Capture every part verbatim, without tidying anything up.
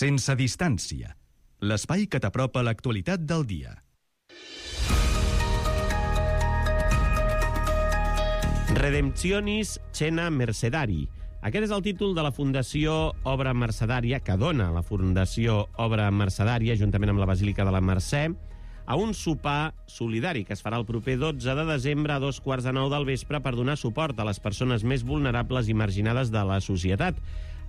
Sense distància. L'espai que t'apropa a l'actualitat del dia. Redemptionis Cena Mercedari. Aquest és el títol de la Fundació Obra Mercedària, que dona la Fundació Obra Mercedària, juntament amb la Basílica de la Mercè, a un sopar solidari que es farà el proper dotze de desembre a dos quarts de nou del vespre per donar suport a les persones més vulnerables i marginades de la societat,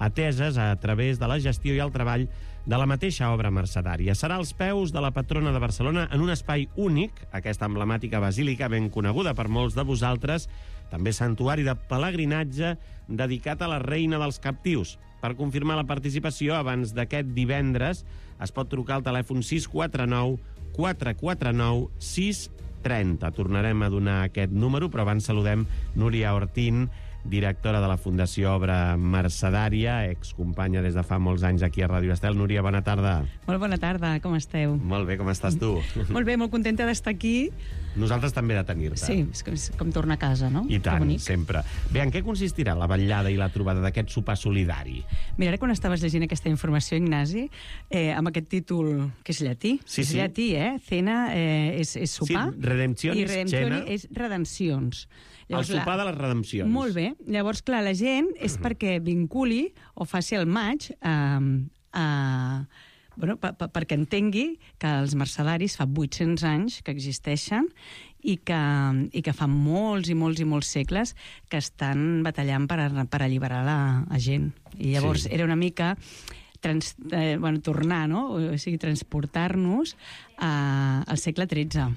ateses a través de la gestió i el treball de la mateixa obra mercedària. Serà als peus de la patrona de Barcelona en un espai únic, aquesta emblemàtica basílica ben coneguda per molts de vosaltres, també santuari de pelegrinatge dedicat a la reina dels captius. Per confirmar la participació, abans d'aquest divendres, es pot trucar al telèfon sis quatre nou quatre quatre nou sis tres zero. Tornarem a donar aquest número, però abans saludem Núria Ortín, directora de la Fundació Obra Mercedària, excompanya des de fa molts anys aquí a Ràdio Estel. Núria, bona tarda. Molt bona tarda, com esteu? Molt bé, com estàs tu? Molt bé, molt contenta d'estar aquí. Nosaltres també de tenir-te. Sí, és com, és com tornar a casa, no? I tant, sempre. Bé, en què consistirà la vetllada i la trobada d'aquest sopar solidari? Mira, ara quan estaves llegint aquesta informació, Ignasi, eh, amb aquest títol, que és llatí, sí, és sí. llatí, eh? Cena eh, és, és sopar. Sí, redemptionis, i redemptioni cena. És redencions. Llavors, el sopar la... de les redempcions. Molt bé. Llavors, clar, la gent és uh-huh. perquè vinculi o faci el maig a... a bueno, per, per, perquè entengui que els mercedaris fa vuit-cents anys que existeixen i que, i que fa molts i molts i molts segles que estan batallant per, a, per alliberar la, la gent. I llavors sí. era una mica trans, eh, bueno, tornar, no? O sigui, transportar-nos a, al segle tretze.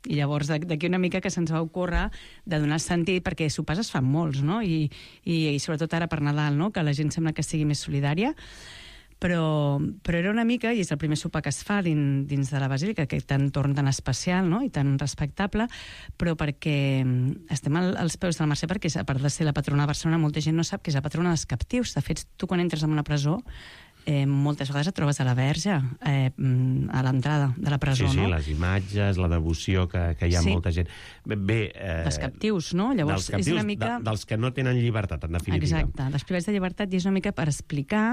I llavors d'aquí una mica que se'ns va ocórrer de donar sentit, perquè sopars es fan molts, no? I, i, i sobretot ara per Nadal, no? Que la gent sembla que sigui més solidària. Però, però era una mica, i és el primer sopar que es fa dins, dins de la Basílica, aquest entorn tan especial, no?, i tan respectable, però perquè estem al, als peus de la Mercè, perquè a part de ser la patrona de Barcelona, molta gent no sap que és la patrona dels captius. De fet, tu quan entres en una presó, eh, moltes vegades et trobes a la Verge, eh, a l'entrada de la presó, sí, sí, no? les imatges, la devoció que, que hi ha sí. molta gent. Bé, eh, dels captius, no? Llavors, dels captius, és una mica... de, dels que no tenen llibertat, en definitiva. Exacte, dels privats de llibertat, i és una mica per explicar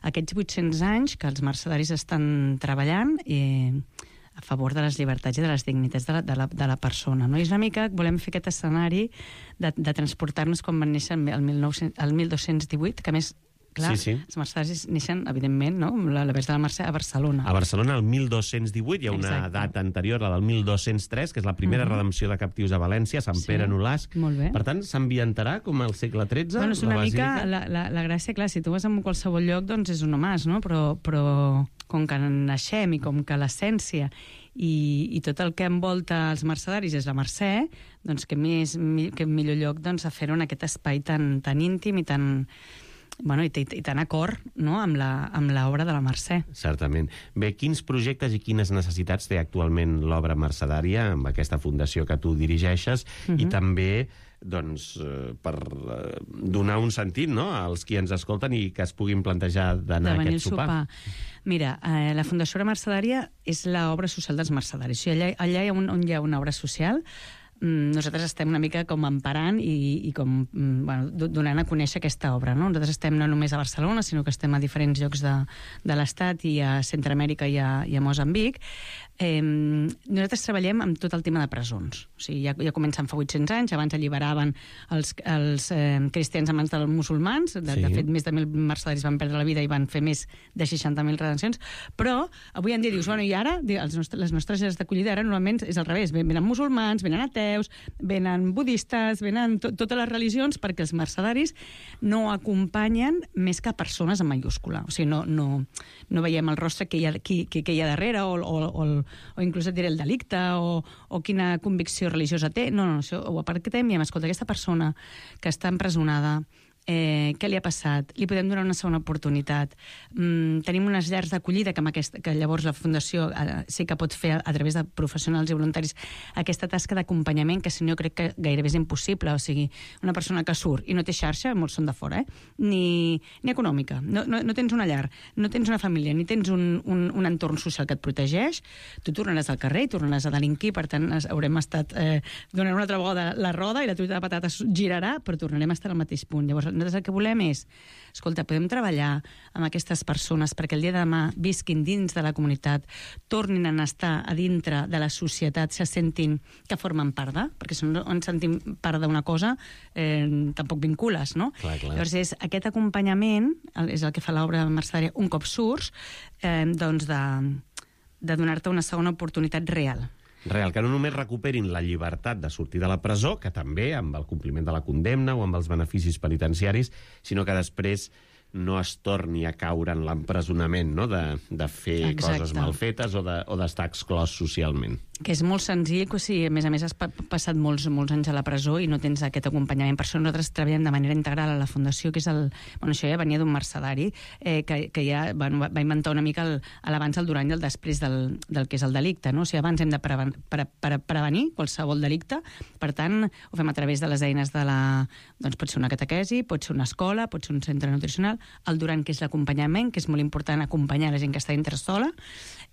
aquests vuit-cents anys que els mercedaris estan treballant eh, a favor de les llibertats i de les dignitats de la, de la, de la persona, no? I és una mica, volem fer aquest escenari de, de transportar-nos quan van néixer el, mil nou-cents, el mil dos-cents divuit, que a més clar, sí, sí. els mercedaris neixen, evidentment, no? La, la Verge de la Mercè a Barcelona. A Barcelona, el mil dos-cents divuit, hi ha una Exacte. data anterior, la del mil dos-cents tres, que és la primera uh-huh. redempció de captius a València, Sant sí. Pere Nolasc. Molt bé. Per tant, s'ambientarà com al segle tretze? Bueno, és una la mica la, la, la gràcia, clar, si tu vas a qualsevol lloc, doncs és un mas, no? Però, però com que naixem i com que l'essència i, i tot el que envolta els mercedaris és la Mercè, doncs que, més, que millor lloc doncs, a fer-ho en aquest espai tan, tan íntim i tan... Bueno, i, i, i tan acord, no?, amb l'obra de la Mercè. Certament. Bé, quins projectes i quines necessitats té actualment l'obra mercedària amb aquesta fundació que tu dirigeixes uh-huh. i també doncs, per donar un sentit, no?, als qui ens escolten i que es puguin plantejar d'anar a aquest sopar. sopar. Mira, eh, la Fundació Obra Mercedària és l'obra social dels mercedaris. O sigui, allà, allà hi ha un, on hi ha una obra social, nosaltres estem una mica com emparant i, i com, bueno, donant a conèixer aquesta obra, no? Nosaltres estem no només a Barcelona, sinó que estem a diferents llocs de, de l'Estat i a Centreamèrica i a, i a Moçambic. Eh, nosaltres treballem amb tot el tema de presons. O sigui, ja, ja comencen fa vuit-cents anys, abans alliberaven els, els eh, cristians a mans dels musulmans, de, sí. de fet més de mil mercedaris van perdre la vida i van fer més de seixanta mil redencions, però avui en dia dius, bueno, i ara els nostres, les nostres llars d'acollida ara normalment és al revés, venen musulmans, venen ateus, venen budistes, venen to totes les religions, perquè els mercedaris no acompanyen més que persones en mayúscula. O sigui, no, no, no veiem el rostre que hi ha, que, que, que hi ha darrere o, o, o, o inclús et diré el delicte o, o quina convicció religiosa té. No, no, això ho aparquem i diem, escolta, aquesta persona que està empresonada, eh, què li ha passat? Li podem donar una segona oportunitat. Mm, tenim unes llars d'acollida que, amb aquesta, que llavors la Fundació eh, sí que pot fer a, a través de professionals i voluntaris aquesta tasca d'acompanyament que si no crec que gairebé és impossible. O sigui, una persona que surt i no té xarxa, molts són de fora, eh? ni, ni econòmica, no, no, no tens una llar, no tens una família, ni tens un, un, un entorn social que et protegeix, tu tornaràs al carrer i tornaràs a delinquir, per tant haurem estat eh, donant una altra vegada la roda i la truita de patates girarà, però tornarem a estar al mateix punt. Llavors Nosaltres el que volem és, escolta, podem treballar amb aquestes persones perquè el dia de demà visquin dins de la comunitat, tornin a estar a dintre de la societat, se sentin que formen part de, perquè si no ens sentim part d'una cosa, eh, tampoc vincules, no? Clar, clar. Llavors, és, aquest acompanyament és el que fa l'obra mercedària un cop surts, eh, doncs de, de donar-te una segona oportunitat real. Real, que no només recuperin la llibertat de sortir de la presó, que també amb el compliment de la condemna o amb els beneficis penitenciaris, sinó que després no es torni a caure en l'empresonament, no? de, de fer Exacte. coses mal fetes o de, o d'estar exclòs socialment. Que és molt senzill, que si a més a més has pa passat molts, molts anys a la presó i no tens aquest acompanyament. Per això nosaltres treballem de manera integral a la Fundació, que és el... Bueno, això ja venia d'un mercedari, eh, que, que ja bueno, va inventar una mica l'abans, el, el durant i el després del, del que és el delicte, no? O sigui, abans hem de preven pre pre prevenir qualsevol delicte, per tant, ho fem a través de les eines de la... Doncs pot ser una catequesi, pot ser una escola, pot ser un centre nutricional, el durant, que és l'acompanyament, que és molt important acompanyar la gent que està dintre sola,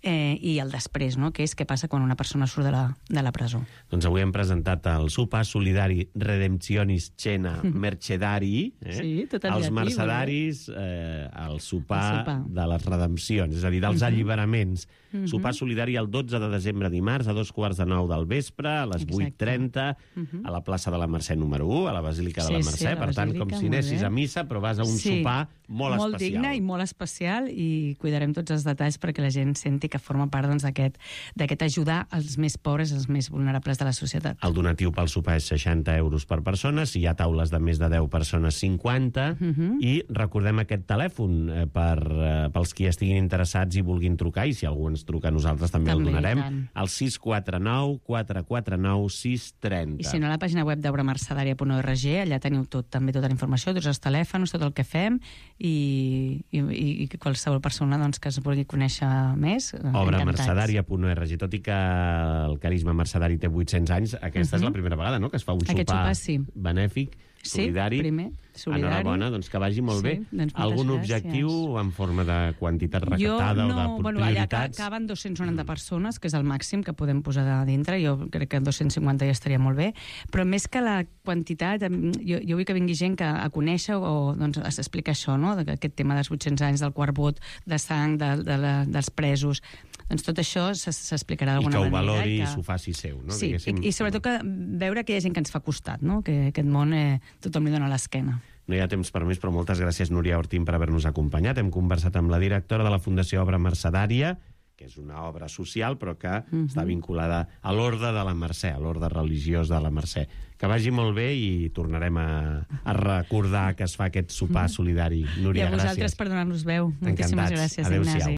eh, i el després, no? Que és què passa quan una persona surt de la, de la presó. Doncs avui hem presentat el sopar solidari Redemptionis Cena Mercedari, eh? Sí, tot el els llatí, mercedaris, eh, el, sopar el sopar de les redempcions, és a dir, dels uh -huh. alliberaments. Uh -huh. Sopar solidari el dotze de desembre, dimarts, a dos quarts de nou del vespre, a les vuit trenta, uh -huh. a la plaça de la Mercè número u, a la Basílica sí, de la Mercè. Sí, la per tant, Basílica, com si anessis a missa, però vas a un sí, sopar molt, molt especial. Molt digne i molt especial, i cuidarem tots els detalls perquè la gent senti que forma part doncs, d'aquest ajudar els més pobres, els més vulnerables de la societat. El donatiu pel sopar és seixanta euros per persona, si hi ha taules de més de deu persones, cinquanta, uh -huh. i recordem aquest telèfon eh, per, eh, pels qui estiguin interessats i vulguin trucar, i si algú ens truca a nosaltres també, també el donarem, al sis quatre nou quatre quatre nou sis trenta. I si no, a la pàgina web d'obramercedària punt org, allà teniu tot, també tota la informació, tots els telèfons, tot el que fem, i, i, i qualsevol persona doncs, que es vulgui conèixer més, obra mercedària punt org. Tot i que el carisma mercedari té vuit-cents anys, aquesta uh -huh. és la primera vegada, no?, que es fa un sopar, sopar sí. benèfic, solidari. Sí, primer, solidari. Enhorabona, doncs que vagi molt sí, bé. Doncs algun gràcies. objectiu en forma de quantitat recaptada jo, no, o de bueno, prioritats? Allà caben dos-cents noranta mm. persones, que és el màxim que podem posar a dintre. Jo crec que dos-cents cinquanta ja estaria molt bé. Però més que la quantitat, jo, jo vull que vingui gent que a conèixer o doncs, a explicar això, no?, aquest tema dels vuit-cents anys, del quart vot, de sang, de, de la, dels presos. Doncs tot això s'explicarà d'alguna manera. I que ho valori i que... s'ho faci seu, no? Sí, i, i sobretot que veure que hi ha gent que ens fa costat, no?, que aquest món eh, tothom li dona l'esquena. No hi ha temps per més, però moltes gràcies, Núria Ortín, per haver-nos acompanyat. Hem conversat amb la directora de la Fundació Obra Mercedària, que és una obra social, però que uh-huh. està vinculada a l'Orde de la Mercè, a l'Orde religiós de la Mercè. Que vagi molt bé i tornarem a, a recordar que es fa aquest sopar solidari. Núria, gràcies. I a vosaltres gràcies per donar-nos veu. Moltíssimes gràcies, Adéu-siau. Ignasi.